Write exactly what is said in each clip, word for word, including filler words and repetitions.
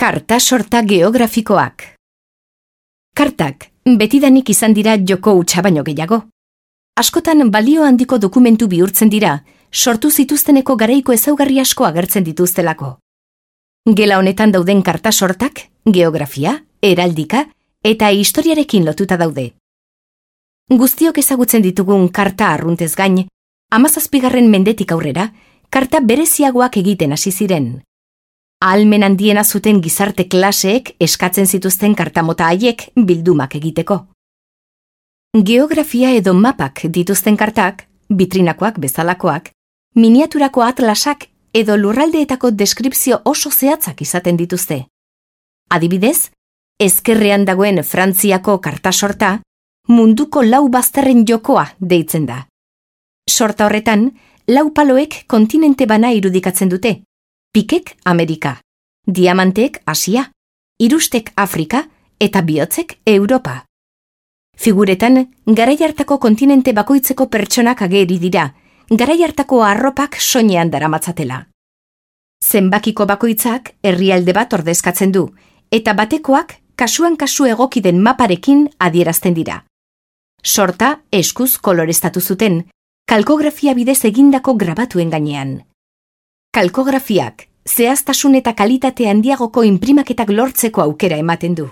Karta sorta geografikoak. Kartak betidanik izan dira joko hutsa baino gehiago. Askotan balio handiko dokumentu bihurtzen dira, sortu zituzteneko garaiko ezaugarri asko agertzen dituztelako. Gela honetan dauden karta sortak, geografia, heraldika eta historiarekin lotuta daude. Guztiok ezagutzen ditugun karta arruntez gain, hamazazpigarren mendetik aurrera, karta bereziagoak egiten hasi ziren. Ahalmen handiena zuten gizarte klaseek eskatzen zituzten kartamota haiek bildumak egiteko. Geografia edo mapak dituzten kartak, bitrinakoak bezalakoak, miniaturako atlasak edo lurraldeetako deskripzio oso zehatzak izaten dituzte. Adibidez, ezkerrean dagoen Frantziako karta sorta, munduko lau bazterren jokoa deitzen da. Sorta horretan, lau paloek kontinente bana irudikatzen dute. Pikek Amerika, diamantek Asia, irustek Afrika eta bihotzek Europa. Figuretan, garai hartako kontinente bakoitzeko pertsonak ageri dira, garai hartako arropak soinean daramatzatela. Zenbakiko bakoitzak herrialde bat ordezkatzen du, eta batekoak kasuan kasu egoki den maparekin adierazten dira. Sorta eskuz koloreztatu zuten, kalkografia bidez egindako grabatuen gainean. Kalkografiak zehaztasun eta kalitate handiagoko inprimaketak lortzeko aukera ematen du.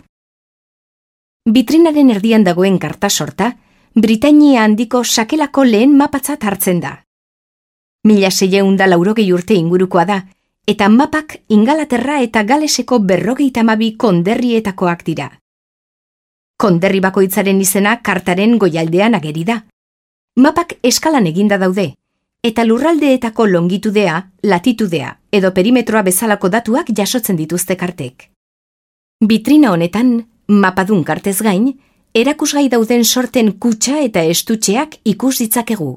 Bitrinaren erdian dagoen karta sorta, Britainia handiko sakelako lehen mapatzat hartzen da. Mila seiehun eta laurogei urte ingurukoa da, eta mapak Ingalaterra eta Galeseko berrogeita hamabi konderrietakoak dira. Konderri bakoitzaren izena kartaren goialdean ageri da. Mapak eskalan eginda daude, eta lurraldeetako longitudea, latitudea edo perimetroa bezalako datuak jasotzen dituzte kartek. Bitrina honetan, mapadun kartez gain, erakusgai dauden sorten kutxa eta estutxeak ikus ditzakegu.